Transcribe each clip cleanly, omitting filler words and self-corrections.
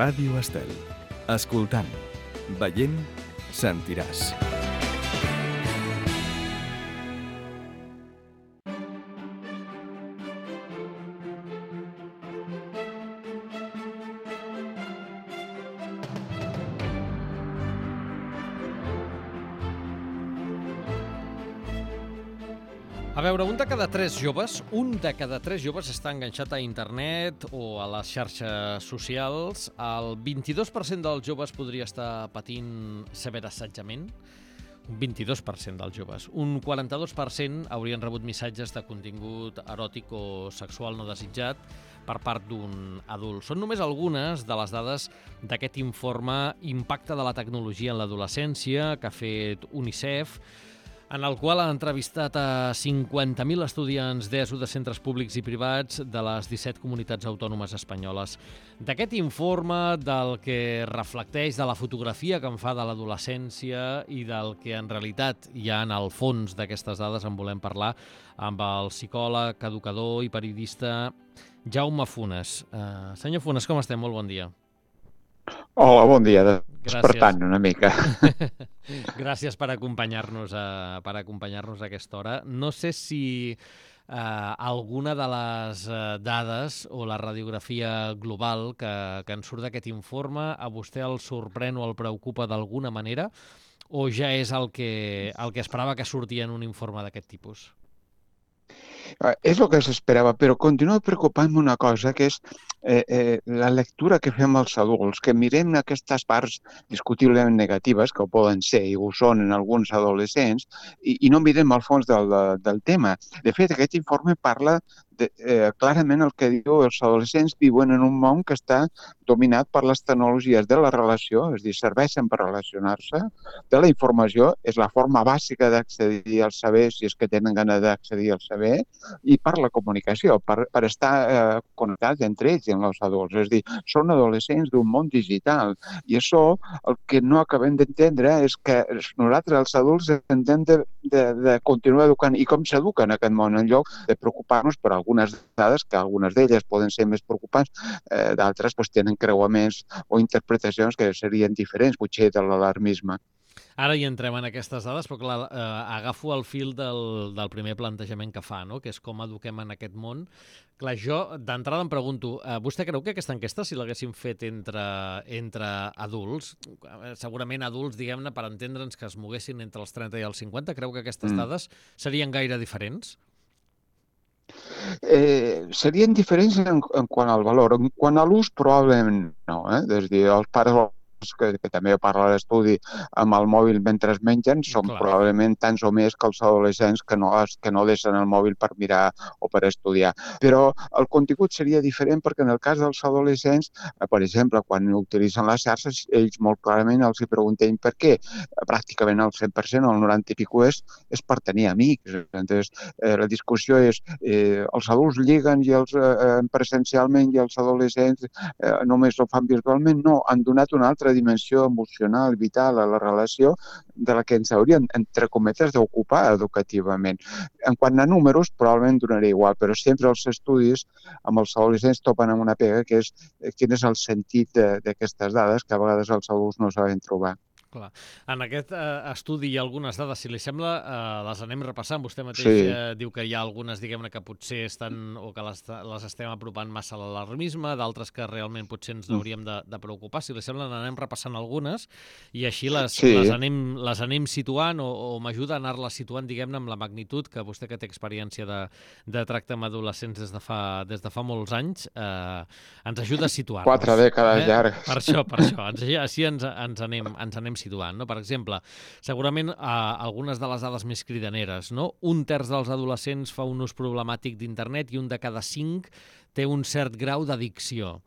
Ràdio Estel. Escoltant, veient, sentiràs. A veure, un de cada tres joves està enganxat a internet o a les xarxes socials. El 22% dels joves podria estar patint ciberassetjament. Un 22% dels joves. Un 42% haurien rebut missatges de contingut eròtic o sexual no desitjat per part d'un adult. Són només algunes de les dades d'aquest informe Impacte de la tecnologia en l'adolescència que ha fet UNICEF, en el qual ha entrevistat a 50.000 estudiants d'ESO de centres públics i privats de les 17 comunitats autònomes espanyoles. D'aquest informe, del que reflecteix, de la fotografia que en fa de l'adolescència i del que en realitat hi ha en el fons d'aquestes dades, en volem parlar amb el psicòleg, educador i periodista Jaume Funes. Senyor Funes, com estem? Molt bon dia. Hola, bon dia. Despertant una mica. Gràcies per acompanyar-nos a aquesta hora. No sé si alguna de les dades o la radiografia global que en surt d'aquest informe a vostè el sorprèn o el preocupa d'alguna manera, o ja és el que esperava que sortia en un informe d'aquest tipus? És el que s'esperava, però continua preocupant-me una cosa, que és la lectura que fem els adults, que mirem aquestes parts discutiblement negatives, que ho poden ser i ho són en alguns adolescents, i no mirem al fons del tema. De fet, aquest informe parla clarament el que diu, els adolescents viuen en un món que està dominat per les tecnologies de la relació, és a dir, serveixen per relacionar-se, de la informació, és la forma bàsica d'accedir al saber, si és que tenen ganes d'accedir al saber, i per la comunicació, per estar connectats entre ells i amb els adults. És a dir, són adolescents d'un món digital. I això, el que no acabem d'entendre és que nosaltres, els adults, hem de continuar educant. I com s'educa en aquest món, en lloc de preocupar-nos per algunes dades, que algunes d'elles poden ser més preocupants, d'altres tenen creuaments o interpretacions que serien diferents, potser de l'alarmisme. Ara hi entrem en aquestes dades, però clar, agafo el fil del primer plantejament que fa, no? Que és com eduquem en aquest món. Clar, jo d'entrada em pregunto, vostè creu que aquesta enquesta, si l'haguéssim fet entre adults, segurament adults, diguem-ne, per entendre'ns que es moguessin entre els 30 i els 50, creu que aquestes dades serien gaire diferents? Serien diferents en quant al valor. En quant a l'ús, probablement no. És a dir, els pares que també parla l'estudi amb el mòbil mentre es mengen, són probablement tants o més que els adolescents que no deixen el mòbil per mirar o per estudiar. Però el contingut seria diferent perquè en el cas dels adolescents, per exemple, quan utilitzen les xarxes, ells molt clarament els hi preguntem per què. Pràcticament el 100%, el 90 i pico és per tenir amics. Entonces, la discussió és els adults lliguen presencialment i els adolescents només ho fan virtualment? No, han donat una altra dimensió emocional, vital a la relació de la que ens haurien, entre cometes, d'ocupar educativament. En quant a números, probablement donaria igual, però sempre els estudis amb els adolescents topen amb una pega, que és quin és el sentit d'aquestes dades que a vegades els adults no saben trobar. Clar. En aquest estudi hi ha algunes dades, si li sembla, les anem repassant. Vostè mateix diu que hi ha algunes, diguem-ne, que potser estan o que les estem apropant massa a l'alarmisme, d'altres que realment potser ens hauríem de preocupar. Si li sembla, n'anem repassant algunes i així les anem situant o m'ajuda a anar-les situant, diguem-ne, amb la magnitud que vostè, que té experiència de tracte amb adolescents des de fa molts anys, ens ajuda a situar-nos. 4 dècades llargues. Per això. Així ens anem situant, no? Per exemple, segurament algunes de les dades més cridaneres, no? 1/3 dels adolescents fa un ús problemàtic d'internet i 1 de cada 5 té un cert grau d'addicció.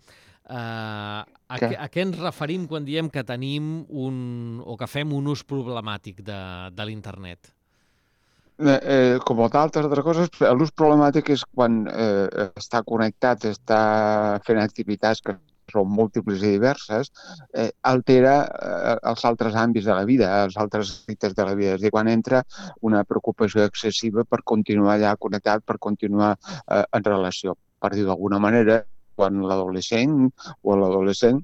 A què ens referim quan diem que tenim o que fem un ús problemàtic de l'internet? Com d'altres coses, l'ús problemàtic és quan està connectat, està fent activitats que són múltiples i diverses, altera els altres àmbits de la vida, els altres aspectes de la vida. És a dir, quan entra una preocupació excessiva per continuar allà connectat, per continuar en relació. Per dir d'alguna manera, quan l'adolescent o l'adolescent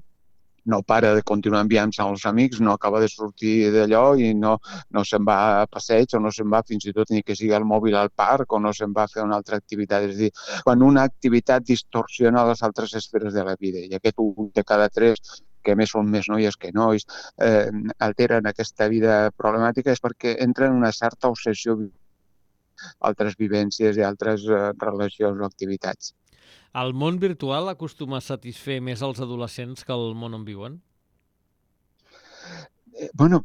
no para de continuar enviant-se als amics, no acaba de sortir d'allò i no se'n va a passeig o no se'n va fins i tot ni que sigui al mòbil al parc o no se'n va a fer una altra activitat. És a dir, quan una activitat distorsiona les altres esferes de la vida i aquest 1 de cada 3 que més són més noies que nois, alteren aquesta vida problemàtica és perquè entra en una certa obsessió altres vivències i altres relacions o activitats. El món virtual acostuma a satisfer més els adolescents que el món on viuen?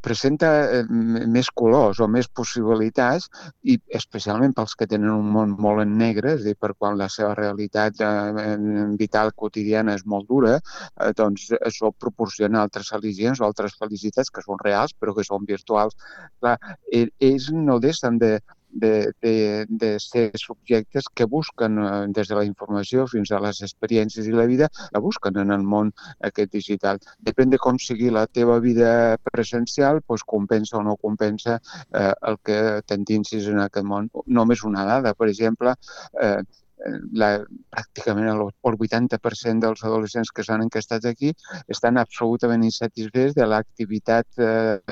Presenta més colors o més possibilitats i especialment pels que tenen un món molt en negre, és a dir, per quan la seva realitat vital quotidiana és molt dura, doncs això proporciona altres al·lisions o altres felicitats que són reals però que són virtuals. Clar, ells no deixen de ser subjectes que busquen des de la informació fins a les experiències i la vida, la busquen en el món aquest digital. Depèn de com sigui la teva vida presencial, doncs compensa o no compensa el que t'endinsis en aquest món. Només una dada, per exemple, pràcticament el 80% dels adolescents que s'han enquestat aquí estan absolutament insatisfets de l'activitat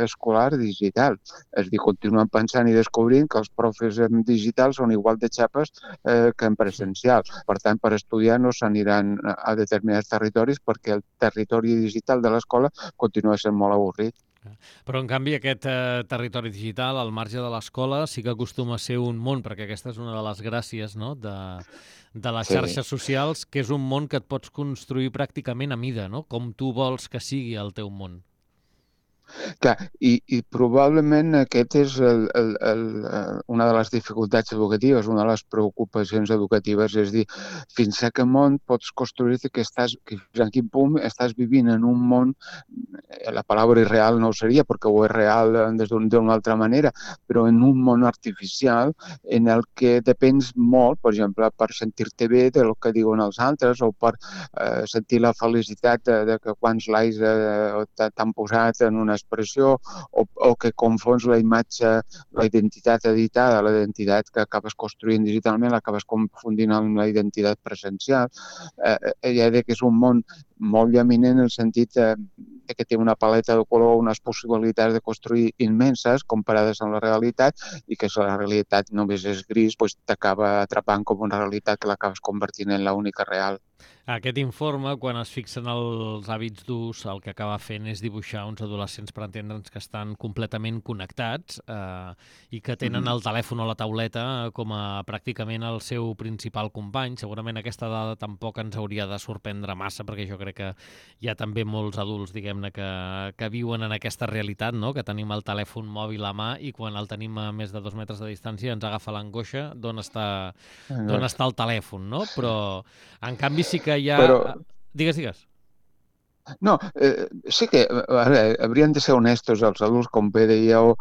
escolar digital. És a dir, continuen pensant i descobrint que els profes en digital són igual de xapes que en presencial. Per tant, per estudiar no s'aniran a determinats territoris perquè el territori digital de l'escola continua sent molt avorrit. Però, en canvi, aquest territori digital, al marge de l'escola, sí que acostuma a ser un món, perquè aquesta és una de les gràcies, no?, de les xarxes socials, que és un món que et pots construir pràcticament a mida, no?, com tu vols que sigui el teu món. Clar, i probablement aquest és una de les dificultats educatives, una de les preocupacions educatives, és dir, fins a quin món pots construir-te fins a quin punt estàs vivint en un món, la paraula irreal no ho seria perquè ho és real d'una altra manera, però en un món artificial en el que depens molt, per exemple, per sentir-te bé del que diuen els altres o per sentir la felicitat de que quants likes t'han posat en una expressió o que confons la imatge, la identitat editada, la identitat que acabes construint digitalment, l'acabes confundint amb la identitat presencial. Ja dic que és un món molt llaminant en el sentit que té una paleta de color, unes possibilitats de construir immenses comparades amb la realitat i que si la realitat només és gris, doncs t'acaba atrapant com una realitat que l'acabes convertint en l'única real. Aquest informe, quan es fixen els hàbits d'ús, el que acaba fent és dibuixar uns adolescents per entendre'ns que estan completament connectats i que tenen el telèfon o la tauleta com a pràcticament el seu principal company. Segurament aquesta dada tampoc ens hauria de sorprendre massa, perquè jo crec que hi ha també molts adults, diguem-ne, que viuen en aquesta realitat, no?, que tenim el telèfon mòbil a mà i quan el tenim a més de 2 metres de distància ens agafa l'angoixa d'on està el telèfon, no? Però, en canvi, sí que hi ha... Però... Digues. No, sí que haurien de ser honestos els adults, com bé dèieu,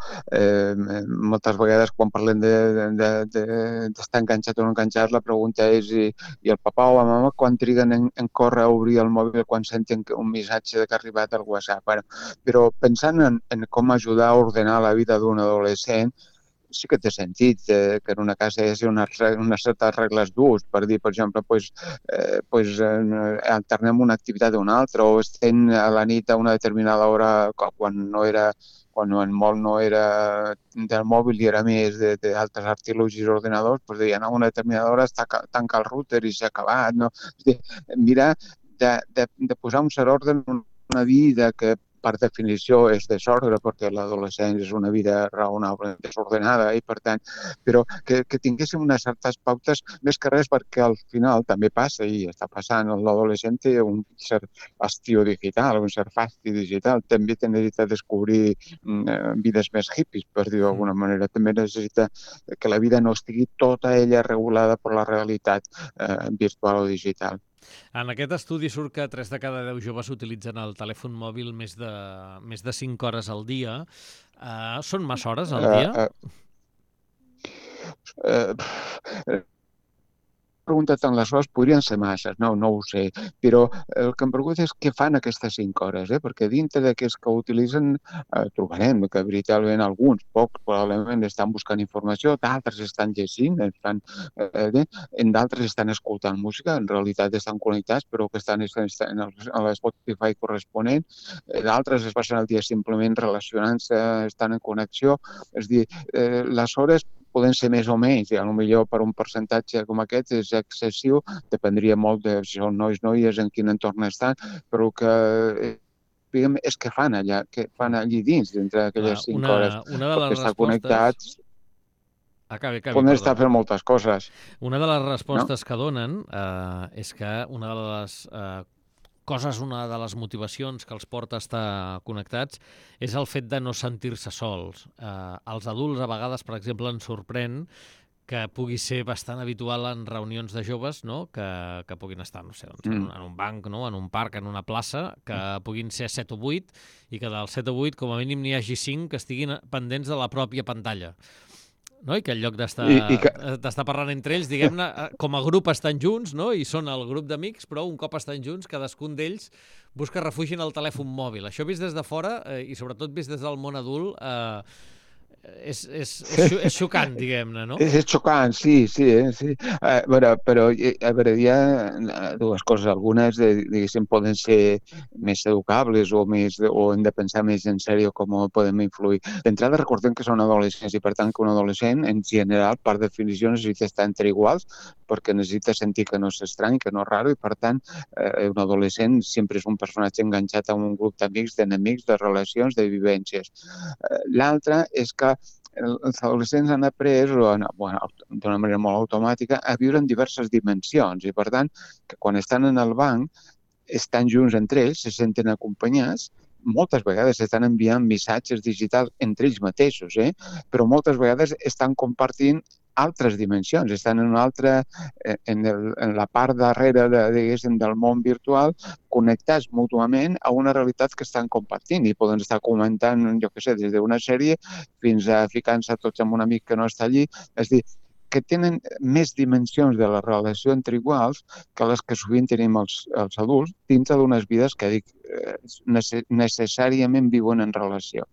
moltes vegades quan parlem d'estar enganxat o no enganxat, la pregunta és i el papa o la mama quan triguen en córrer a obrir el mòbil quan senten un missatge que ha arribat al WhatsApp. Però pensant en com ajudar a ordenar la vida d'un adolescent, sí que té sentit que en una casa hi hagi unes certes regles d'ús, per dir, per exemple, alternem una activitat d'una altra o estem a la nit a una determinada hora quan el món no era del mòbil i era més d'altres artilugis ordenadors, doncs deien a una determinada hora tanca el router i s'ha acabat. No? És dir, mirar de posar un cert ordre en una vida que per definició és desordre, perquè l'adolescència és una vida raonable desordenada i, per tant, però que tinguéssim unes certes pautes, més que res perquè al final també passa i està passant, l'adolescent té un cert hastío digital, un cert fasti digital, també té necessitat de descobrir vides més hippies, per dir-ho d'alguna manera, també necessita que la vida no estigui tota ella regulada per la realitat virtual o digital. En aquest estudi surt que 3 de cada 10 joves utilitzen el telèfon mòbil més de 5 hores al dia. Són massa hores al dia? preguntat tant les hores, podrien ser masses, no ho sé, però el que em pregunta és què fan aquestes 5 hores, perquè dintre d'aquests que utilitzen trobarem que veritablement alguns, pocs, probablement estan buscant informació, d'altres estan llegint, en d'altres estan escoltant música, en realitat estan connectats, però que estan a l'Spotify corresponent, d'altres es passen el dia simplement relacionant-se, estan en connexió, és a dir, les hores poden ser més o menys, i potser per un percentatge com aquest és excessiu, dependria molt de si són noies, en quin entorn estan, però que diguem, és que fan allà, que fan allí dins, dintre d'aquelles 5 hores, una de les perquè estar respostes... connectats, Acabi, poden estar perdona. fent moltes coses. Una de les respostes que donen és que una de les coses, una de les motivacions que els porta a estar connectats és el fet de no sentir-se sols. Els adults, a vegades, per exemple, ens sorprèn que pugui ser bastant habitual en reunions de joves, no? que puguin estar, no sé, en un banc, no? En un parc, en una plaça, que puguin ser 7 o 8 i que dels 7 o 8 com a mínim n'hi hagi 5 que estiguin pendents de la pròpia pantalla. No? I que en lloc d'estar parlant entre ells, diguem-ne, com a grup estan junts, no? I són el grup d'amics, però un cop estan junts, cadascun d'ells busca refugi en el telèfon mòbil. Això vist des de fora, i sobretot vist des del món adult, és xocant, diguem-ne, no? És xocant, sí. Però a veure, hi ha dues coses. Algunes, diguéssim, poden ser més educables o hem de pensar més en sèrio com podem influir. D'entrada, recordem que són adolescents i, per tant, que un adolescent, en general, per definició, necessita estar entre iguals perquè necessita sentir que no és estrany, que no és raro, i, per tant, un adolescent sempre és un personatge enganxat a un grup d'amics, d'enemics, de relacions, de vivències. L'altre és que els adolescents han après, d'una manera molt automàtica, a viure en diverses dimensions i, per tant, que quan estan en el banc, estan junts entre ells, se senten acompanyats, moltes vegades estan enviant missatges digitals entre ells mateixos, però moltes vegades estan compartint altres dimensions, estan en una altra, en la part darrere del món virtual, connectats mútuament a una realitat que estan compartint i poden estar comentant, jo què sé, des d'una sèrie fins a ficant-se tots amb un amic que no està allí. És a dir, que tenen més dimensions de la relació entre iguals que les que sovint tenim els adults dintre d'unes vides que necessàriament viuen en relació.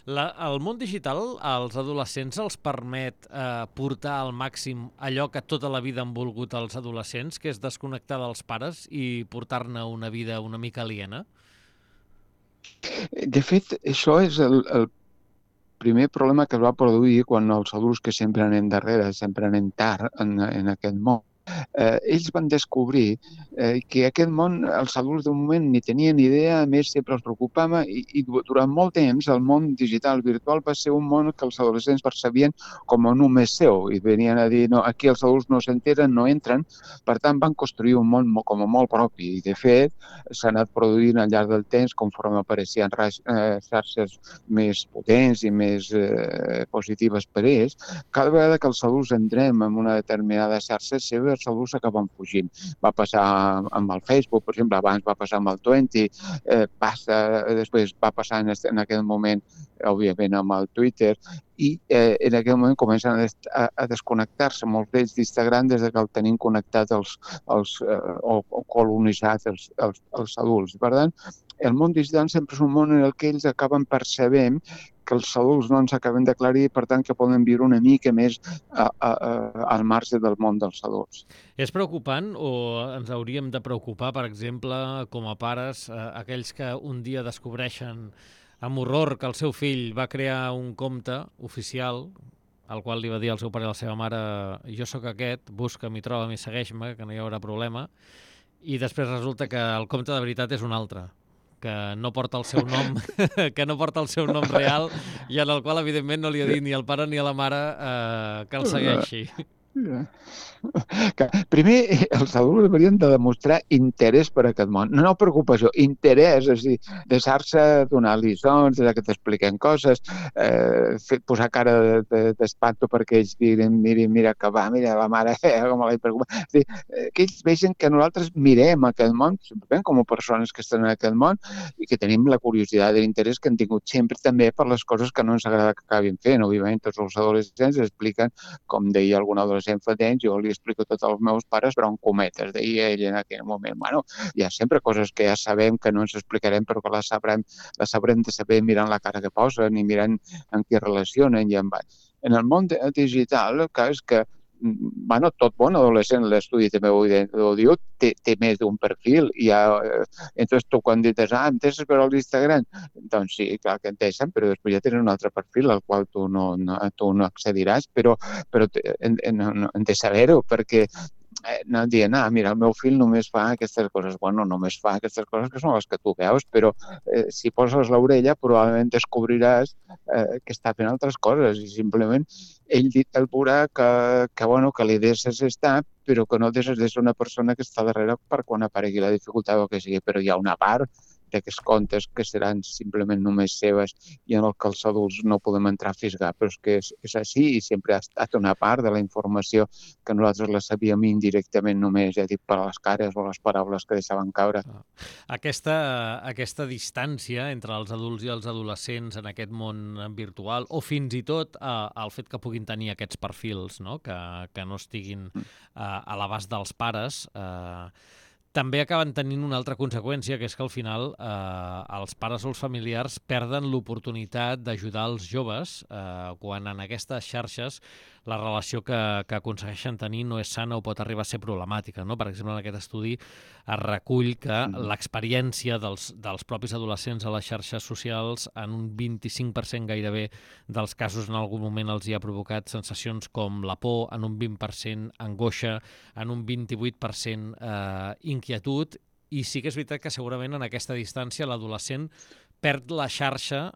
El món digital als adolescents els permet portar al màxim allò que tota la vida han volgut els adolescents, que és desconnectar dels pares i portar-ne una vida una mica aliena? De fet, això és el primer problema que es va produir quan els adults que sempre anem darrere, sempre anem tard en aquest món, ells van descobrir que aquest món, els adults de moment ni tenien idea, a més sempre els preocupava i durant molt temps el món digital virtual va ser un món que els adolescents percebien com a només seu i venien a dir, no, aquí els adults no s'enteren, no entren, per tant van construir un món com a molt propi i de fet s'ha anat produint al llarg del temps conforme apareixien xarxes més potents i més positives per ells. Cada vegada que els adults entrem en una determinada xarxa seva, els adults acaben fugint. Va passar amb el Facebook, per exemple, abans va passar amb el Twenty, després va passar en aquell moment, òbviament, amb el Twitter, i en aquell moment comencen a desconnectar-se molts d'ells d'Instagram des que el tenim connectat o colonitzat els adults. Per tant, el món digital sempre és un món en el que ells acaben percebent que els adults no ens acaben d'aclarir i, per tant, que poden viure una mica més al marge del món dels adults. És preocupant o ens hauríem de preocupar, per exemple, com a pares, aquells que un dia descobreixen amb horror que el seu fill va crear un compte oficial al qual li va dir al seu pare i a la seva mare jo sóc aquest, busca'm i troba'm i segueix-me, que no hi haurà problema, i després resulta que el compte de veritat és un altre, que no porta el seu nom, que no porta el seu nom real i en el qual, evidentment, no li ha dit ni al pare ni a la mare que el segueixi. Primer, els adults haurien de demostrar interès per aquest món. No preocupació, interès, és a dir, deixar-se donar lliçons, que t'expliquen coses, posar cara d'espanto perquè ells miren, mira que va, mira la mare, com la preocupa. És dir, que ells vegin que nosaltres mirem aquest món, simplement com a persones que estan en aquest món i que tenim la curiositat i l'interès que han tingut sempre també per les coses que no ens agrada que acabin fent. Òbviament, tots els adolescents expliquen, com deia algun adolescent, adolescent fa temps, jo li explico tot als meus pares, però en cometes, deia ell en aquell moment. Bueno, hi ha sempre coses que ja sabem que no ens explicarem, però que les sabrem de saber mirant la cara que posen i mirant en què relacionen. En el món digital, el cas és que bueno, tot bon adolescent, l'estudi també ho diu, té més d'un perfil. Entonces tu quan dius, em deixes veure l'Instagram? Doncs sí, clar que en deixen, però després ja tenen un altre perfil al qual tu no accediràs, però hem de saber-ho, perquè no dient, mira, el meu fill només fa aquestes coses. Bueno, només fa aquestes coses que són les que tu veus, però si poses l'orella probablement descobriràs que està fent altres coses i simplement ell veurà que li deixes estar, però que no deixes de ser una persona que està darrere per quan aparegui la dificultat o que sigui. Però hi ha una part d'aquests contes que seran simplement només seves i en el que els adults no podem entrar a fisgar, però és que és així i sempre ha estat una part de la informació que nosaltres la sabíem indirectament només, ja dic, per les cares o les paraules que deixaven caure. Aquesta distància entre els adults i els adolescents en aquest món virtual, o fins i tot el fet que puguin tenir aquests perfils, no? Que no estiguin a l'abast dels pares, també acaben tenint una altra conseqüència, que és que al final els pares o els familiars perden l'oportunitat d'ajudar els joves quan en aquestes xarxes la relació que aconsegueixen tenir no és sana o pot arribar a ser problemàtica, no? Per exemple, en aquest estudi es recull que l'experiència dels propis adolescents a les xarxes socials en un 25% gairebé dels casos en algun moment els hi ha provocat sensacions com la por, en un 20% angoixa, en un 28% inquietud, i sí que és veritat que segurament en aquesta distància l'adolescent perd la xarxa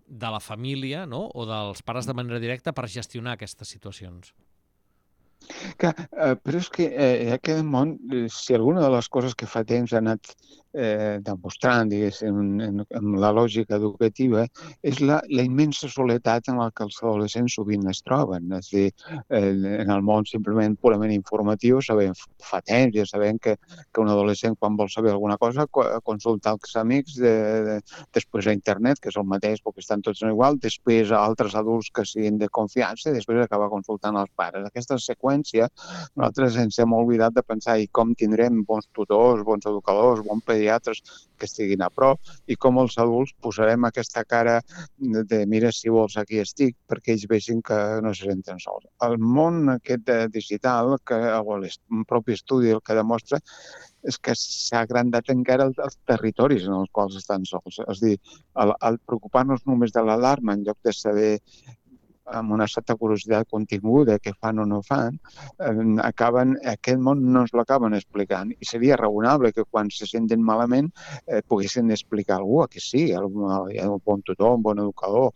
de la família, no? O dels pares de manera directa per gestionar aquestes situacions. Clar, però és que aquest món, si alguna de les coses que fa temps ha anat demostrant, diguéssim, en la lògica educativa, és la immensa soledat en la que els adolescents sovint es troben. És a dir, en el món simplement purament informatiu, fa temps, ja sabem que un adolescent, quan vol saber alguna cosa, consulta els amics, després a internet, que és el mateix perquè estan tots igual, després a altres adults que siguin de confiança i després acaba consultant els pares. Aquesta seqüència, nosaltres ens hem oblidat de pensar i com tindrem bons tutors, bons educadors, bons pediatres que estiguin a prop i com els adults posarem aquesta cara de mira si vols aquí estic perquè ells vegin que no se senten sols. El món aquest digital, un propi estudi el que demostra és que s'ha agrandat encara els territoris en els quals estan sols. És a dir, al preocupar-nos només de l'alarma en lloc de saber amb una certa curiositat continguda què fan o no fan, aquest món no ens l'acaben explicant. I seria raonable que quan se senten malament poguessin explicar a algú, que sí, un bon tutor, un bon educador,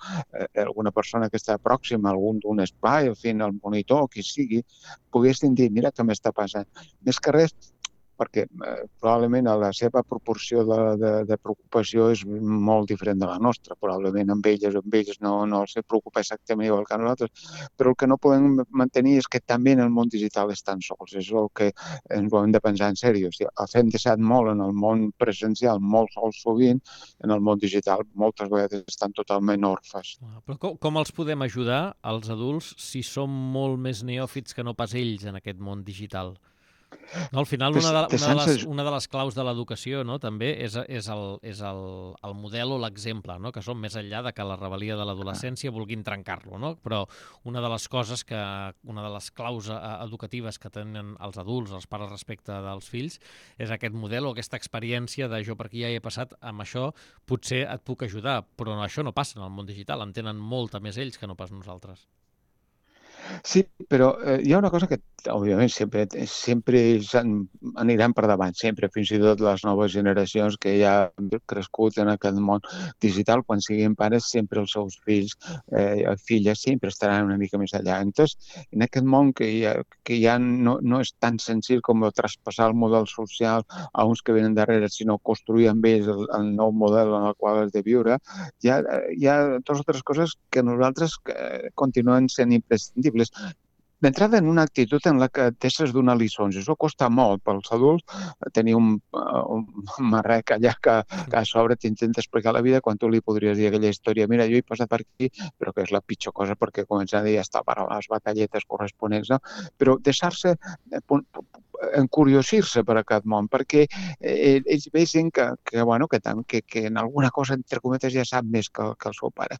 alguna persona que està pròxima, algun d'un espai, en fi, el monitor, qui sigui, poguessin dir, mira què m'està passant. Més que res, perquè probablement la seva proporció de preocupació és molt diferent de la nostra. Probablement amb ells no els preocupa exactament igual que a nosaltres, però el que no podem mantenir és que també en el món digital estan sols. És el que ens ho hem de pensar en sèrio. Els hem deixat molt en el món presencial, molt sols sovint, en el món digital moltes vegades estan totalment orfes. Però com els podem ajudar, els adults, si som molt més neòfits que no pas ells en aquest món digital? No, al final, una de les claus de l'educació, no, també és el model o l'exemple, no, que són més enllà de que la rebel·lia de l'adolescència vulguin trencar-lo, no? Però una de les claus educatives que tenen els adults, els pares respecte dels fills, és aquest model o aquesta experiència de jo per aquí ja he passat amb això, potser et puc ajudar, però això no passa en el món digital, en tenen molta més ells que no pas nosaltres. Sí, però hi ha una cosa que, òbviament, sempre aniran per davant, sempre, fins i tot les noves generacions que ja han crescut en aquest món digital, quan siguin pares, sempre els seus fills, filles, sempre estaran una mica més allà. Entonces, en aquest món que ja no és tan senzill com traspassar el model social a uns que venen darrere, sinó construir amb ells el nou model en el qual has de viure, hi ha dues o tres coses que nosaltres continuen sent imprescindibles. d'entrada en una actitud en la que deixes donar lliçons. Això costa molt pels adults, tenir un marrec allà que a sobre t'intenta explicar la vida quan tu li podries dir aquella història, mira, jo he passat per aquí, però que és la pitjor cosa perquè comença a dir ja està per a les batalletes corresponents, no? Però deixar-se encuriosir-se per aquest món, perquè ells vegin que en alguna cosa, entre cometes, ja sap més que el seu pare.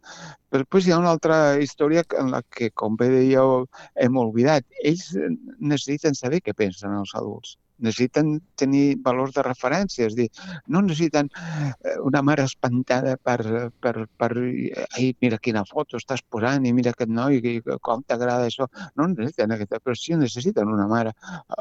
Però després hi ha una altra història en la que, com bé dèieu, hem oblidat. Ells necessiten saber què pensen els adults. Necessiten tenir valors de referència, és a dir, no necessiten una mare espantada ai, mira quina foto estàs posant i mira aquest noi, com t'agrada això. No necessiten aquesta, però sí necessiten una mare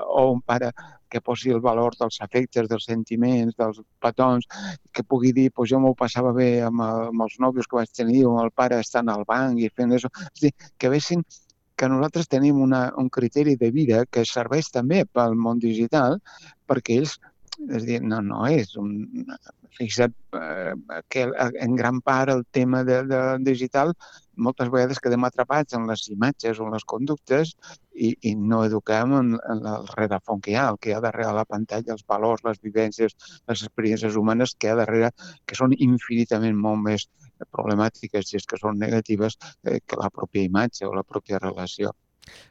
o un pare que posi el valor dels afectes, dels sentiments, dels petons, que pugui dir, pues jo m'ho passava bé amb els nòvios que vaig tenir, o amb el pare estant al banc i fent això. És a dir, que vegin que nosaltres tenim un criteri de vida que serveix també pel món digital, perquè ells, és a dir, no és un... Fixa't que en gran part el tema digital moltes vegades quedem atrapats en les imatges o en les conductes i no eduquem en el rerefons que hi ha darrere la pantalla, els valors, les vivències, les experiències humanes que hi ha darrere, que són infinitament molt més problemàtiques, si és que són negatives, que la pròpia imatge o la pròpia relació.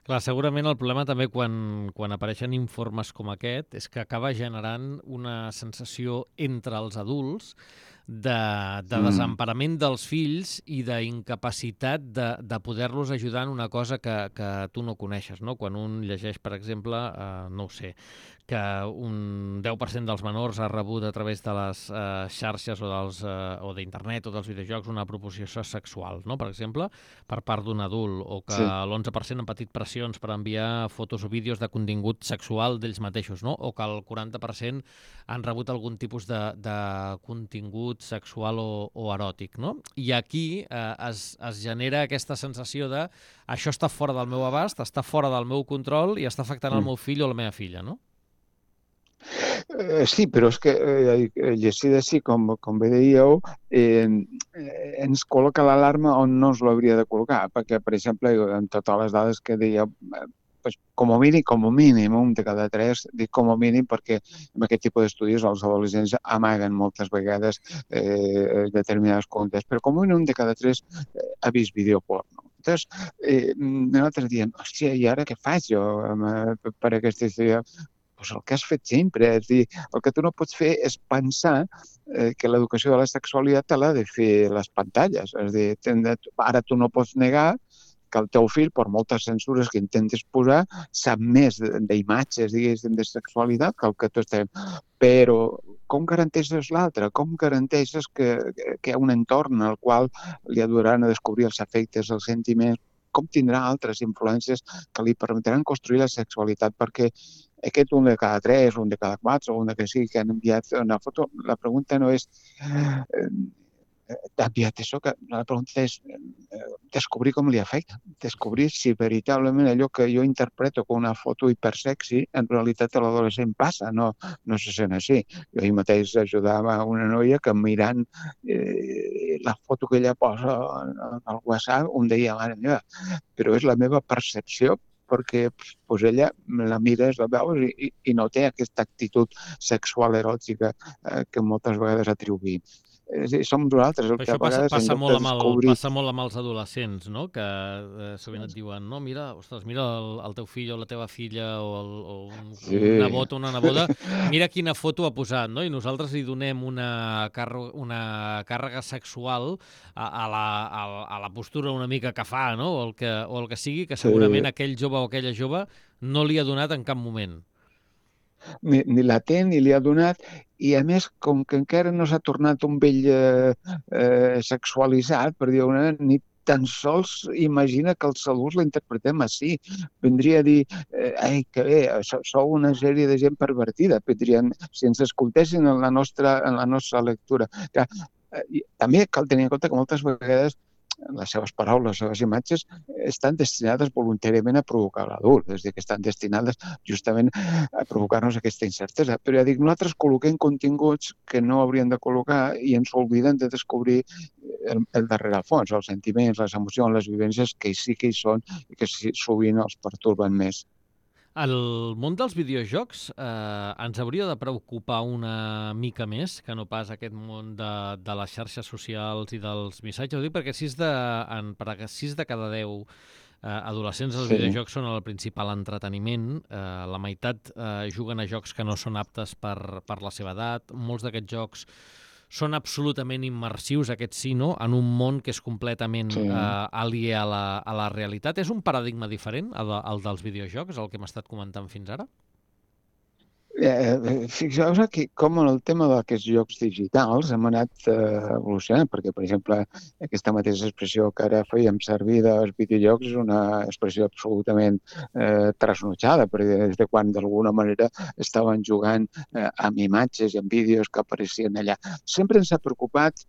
Clar, segurament el problema també quan apareixen informes com aquest és que acaba generant una sensació entre els adults de desemparament dels fills i d'incapacitat de poder-los ajudar en una cosa que tu no coneixes, no? Quan un llegeix, per exemple, no ho sé, que un 10% dels menors ha rebut a través de les xarxes o d'internet o dels videojocs una proposició sexual, no? Per exemple, per part d'un adult, o que l'11% han patit pressions per enviar fotos o vídeos de contingut sexual d'ells mateixos, no? O que el 40% han rebut algun tipus de contingut sexual o eròtic, no? I aquí es genera aquesta sensació de això està fora del meu abast, està fora del meu control i està afectant el meu fill o la meva filla, no? Sí, però és que llegir així, com bé dèieu, ens col·loca l'alarma on no ens l'hauria de col·locar, perquè, per exemple, en totes les dades que dèieu, pues, com a mínim, un de cada tres, dic com a mínim perquè en aquest tipus d'estudis els adolescents amaguen moltes vegades determinades contes, però com a mínim un de cada tres ha vist vídeo porno. Llavors, nosaltres diem, hòstia, i ara què faig jo per aquesta història? Pues el que has fet sempre, és dir, el que tu no pots fer és pensar que l'educació de la sexualitat te l'ha de fer les pantalles. És dir, ara tu no pots negar que el teu fill, per moltes censures que intentes posar, sap més d'imatges, diguéssim, de sexualitat que el que tu estem. Però com garanteixes l'altre? Com garanteixes que hi ha un entorn al qual li ajudaran a descobrir els afectes, els sentiments? Com tindrà altres influències que li permetran construir la sexualitat? Perquè aquest un de cada tres, un de cada quatre, o un de que sigui que han enviat una foto, la pregunta no és t'ha enviat això, que la pregunta és descobrir com li afecta, descobrir si veritablement allò que jo interpreto com una foto hipersexy, en realitat a l'adolescent passa, no se sent així. Jo ahir mateix ajudava una noia que mirant la foto que ella posa al WhatsApp, un deia, mare meva, però és la meva percepció, perquè pues, ella la mires, la veus i no té aquesta actitud sexual eròtica que moltes vegades atribuïm. Som nosaltres el que a vegades passa molt amb els adolescents, no? Que sovint et diuen, no, mira el teu fill o la teva filla o un nebot o una neboda, mira quina foto ha posat, no? I nosaltres li donem una càrrega sexual a la postura una mica que fa, no? O el que sigui, que segurament aquell jove o aquella jove no li ha donat en cap moment. Ni la té ni li ha donat, i a més, com que encara no s'ha tornat un vell sexualitzat, per dir-ho una, ni tan sols imagina que els adults la interpretem així. Vindria a dir, ai, que bé, sou una sèrie de gent pervertida, vindrien, si ens escoltessin en la nostra lectura. També cal tenir en compte que moltes vegades les seves paraules, les seves imatges, estan destinades voluntàriament a provocar l'adult, és a dir, que estan destinades justament a provocar-nos aquesta incertesa. Però ja dic, nosaltres col·loquem continguts que no hauríem de col·locar i ens oblidem de descobrir el darrere al fons, els sentiments, les emocions, les vivències que sí que hi són i que sovint els pertorben més. El món dels videojocs ens hauria de preocupar una mica més que no pas aquest món de les xarxes socials i dels missatges. Ho dic perquè 6 de cada 10 adolescents dels videojocs són el principal entreteniment. La meitat juguen a jocs que no són aptes per la seva edat. Molts d'aquests jocs són absolutament immersius, aquests sí, no? En un món que és completament aliè a la realitat. És un paradigma diferent, el dels videojocs, el que hem estat comentant fins ara? Fixeu-vos aquí com en el tema d'aquests jocs digitals hem anat evolucionant, perquè, per exemple, aquesta mateixa expressió que ara fèiem servir dels videojocs és una expressió absolutament trasnotjada, perquè des de quan d'alguna manera estaven jugant amb imatges i amb vídeos que apareixien allà. Sempre ens ha preocupat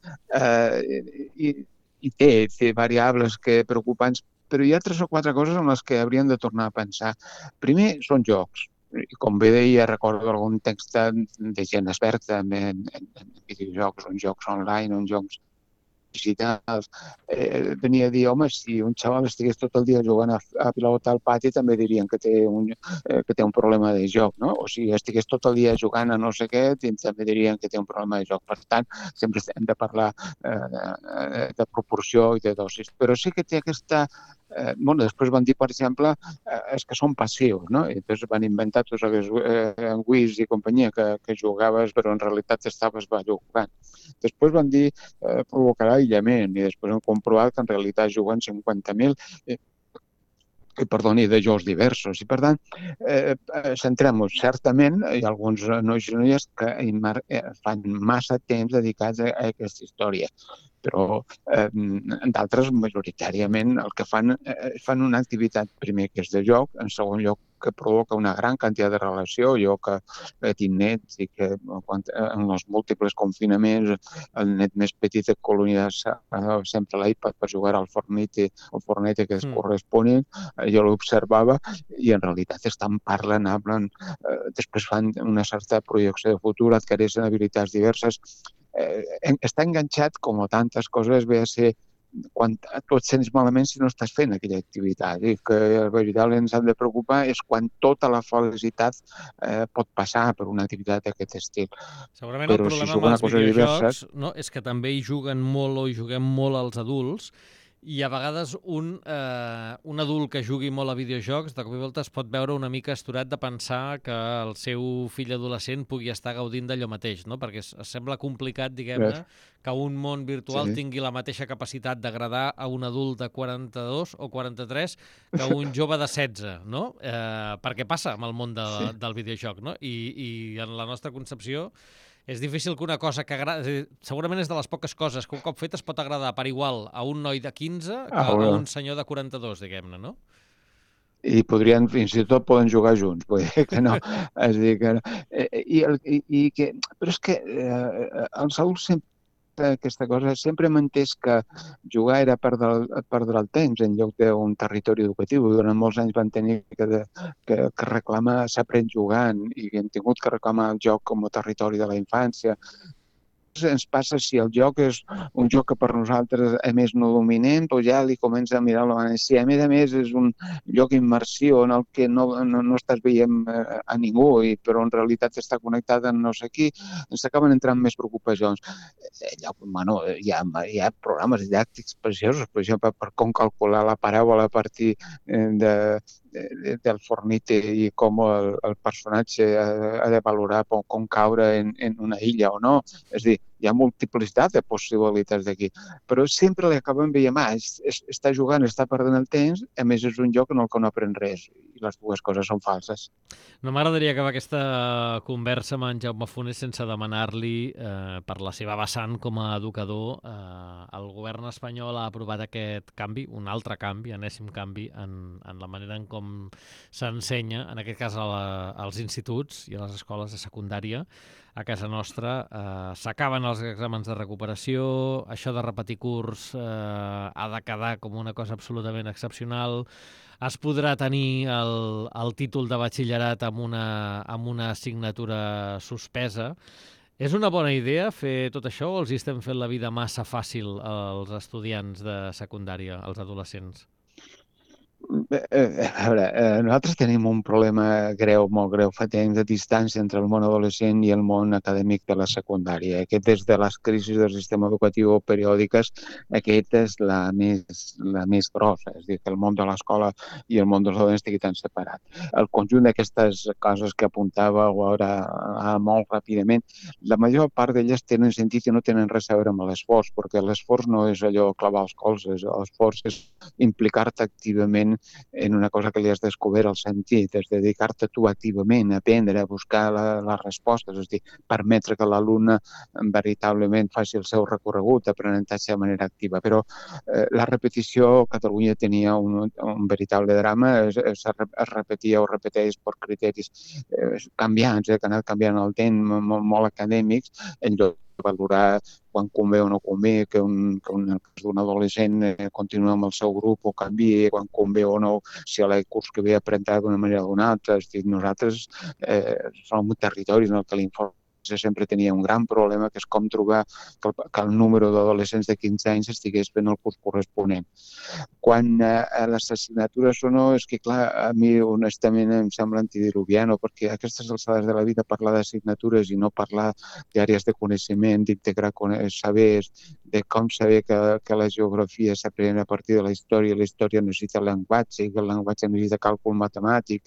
i té variables preocupants, però hi ha 3 o 4 coses en les que hauríem de tornar a pensar. Primer, són jocs. I com bé deia, recordo algun text de gent experta en videojocs, en jocs online, en jocs digitals, venia a dir, home, si un xaval estigués tot el dia jugant a pilota al pati, també dirien que té un problema de joc, no? O si estigués tot el dia jugant a no sé què, també dirien que té un problema de joc. Per tant, sempre hem de parlar de proporció i de dosis. Però sí que té aquesta... després van dir, per exemple, és que són passius, no? I després van inventar tots aquests Wiis i companyia que jugaves, però en realitat estaves jugant. Després van dir provocarà aïllament i després han comprovat que en realitat juguen 50.000 de jocs diversos. I, per tant, centrem-nos. Certament, hi ha alguns nois i noies que fan massa temps dedicats a aquesta història, però d'altres, majoritàriament, el que fan una activitat, primer, que és de joc, en segon lloc, que provoca una gran quantitat de relació. Jo que tinc nets i que en els múltiples confinaments el net més petit de colònia sempre l'iPad per jugar al Fortnite que es corresponen, jo l'observava i en realitat estan parlant, després fan una certa projecció de futur, adquireixen habilitats diverses. Està enganxat, com a tantes coses, ve a ser quan tu et sents malament si no estàs fent aquella activitat. I que veritablement ens han de preocupar és quan tota la felicitat pot passar per una activitat d'aquest estil. Segurament el problema amb els videojocs és que també hi juguen molt o hi juguem molt els adults, i a vegades un adult que jugui molt a videojocs de cop i volta es pot veure una mica asturat de pensar que el seu fill adolescent pugui estar gaudint d'allò mateix, no? Perquè es sembla complicat, diguem-ne, que un món virtual tingui la mateixa capacitat d'agradar a un adult de 42 o 43 que un jove de 16, no? Perquè passa amb el món del videojoc, no? I en la nostra concepció és difícil que una cosa que agrada... Segurament és de les poques coses que un cop fet es pot agradar per igual a un noi de 15 que a un senyor de 42, diguem-ne, no? I podrien, fins i tot poden jugar junts, vull dir que no. És dir, que no. Però és que els adults sempre aquesta cosa, sempre hem entès que jugar era perdre el temps en lloc d'un territori educatiu. Durant molts anys van tenir que reclamar s'aprèn jugant i hem tingut que reclamar el joc com a territori de la infància. Ens passa si el joc és un joc que per nosaltres a més no dominem, doncs ja li comença a mirar la manera. Si a més és un lloc immersiu en el que no estàs veient a ningú, però en realitat està connectat amb no sé qui, ens acaben entrant més preocupacions. Hi ha programes didàctics preciosos, per exemple, per com calcular la paràbola a partir del Fortnite i com el personatge ha de valorar com caure en una illa o no. És a dir, hi ha multiplicitat de possibilitats d'aquí, però sempre li acabem veient, està jugant, està perdent el temps, a més és un joc en el que no aprèn res. I les dues coses són falses. No m'agradaria acabar aquesta conversa amb en Jaume Funes sense demanar-li, per la seva vessant com a educador, el govern espanyol ha aprovat aquest canvi, un altre canvi, enèsim canvi, en la manera en com s'ensenya, en aquest cas als instituts i a les escoles de secundària. A casa nostra s'acaben els exàmens de recuperació, això de repetir curs ha de quedar com una cosa absolutament excepcional. Es podrà tenir el títol de batxillerat amb una assignatura suspesa. És una bona idea fer tot això o els estem fent la vida massa fàcil als estudiants de secundària, als adolescents? A veure, nosaltres tenim un problema greu, molt greu, fa temps de distància entre el món adolescent i el món acadèmic de la secundària. Aquest, des de les crisis del sistema educatiu periòdiques, aquesta és la més grossa, és a dir, que el món de l'escola i el món dels adolescents estigui tan separat. El conjunt d'aquestes coses que apuntàveu ara molt ràpidament, la major part d'elles tenen sentit i no tenen res a veure amb l'esforç, perquè l'esforç no és allò clavar els colzes, l'esforç és implicar-te activament en una cosa que li has descobert el sentit, és dedicar-te tu activament a aprendre, a buscar les respostes, és a dir, permetre que l'alumne veritablement faci el seu recorregut d'aprenentatge de manera activa. Però la repetició, Catalunya tenia un veritable drama, es repetia o repeteix per criteris canviants, que han anat canviant el temps, molt acadèmics, en lloc de valorar quan convé o no convé, que en el cas d'un adolescent continua amb el seu grup o canvia, quan convé o no, si a l'any curs que ve aprendrà d'una manera o d'una altra. És dir, nosaltres som un territori en el que l'informació sempre tenia un gran problema, que és com trobar que el número d'adolescents de 15 anys estigués fent el curs corresponent. Quan a les assignatures o no, és que clar, a mi honestament em sembla antidiluviano, perquè a aquestes alçades de la vida parlar d'assignatures i no parlar d'àrees de coneixement, d'integrar sabers, de com saber que la geografia s'aprèn a partir de la història necessita llenguatge, i que el llenguatge necessita càlcul matemàtic,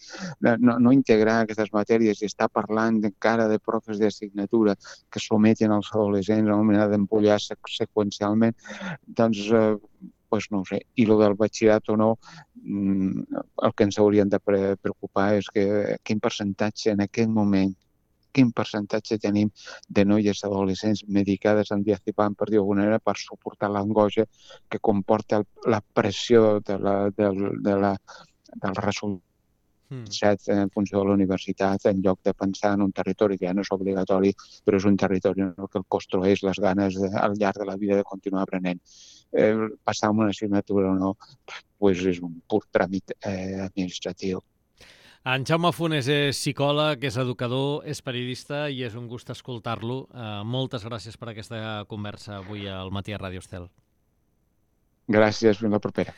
no integrar aquestes matèries i estar parlant encara de profes d'assignatura que someten els adolescents a una manera d'empollar seqüencialment, doncs no ho sé. I el del batxillerat o no, el que ens haurien de preocupar és quin percentatge en aquest moment, quin percentatge tenim de noies adolescents medicades amb diazepam, per dir alguna manera, per suportar l'angoixa que comporta la pressió del resultat en funció de la universitat, en lloc de pensar en un territori que ja no és obligatori, però és un territori en el que el construeix les ganes al llarg de la vida de continuar aprenent. Passar una assignatura o no, és un pur tràmit administratiu. En Jaume Funes és psicòleg, és educador, és periodista i és un gust escoltar-lo. Moltes gràcies per aquesta conversa avui al Matí a Ràdio Estel. Gràcies, fins la propera.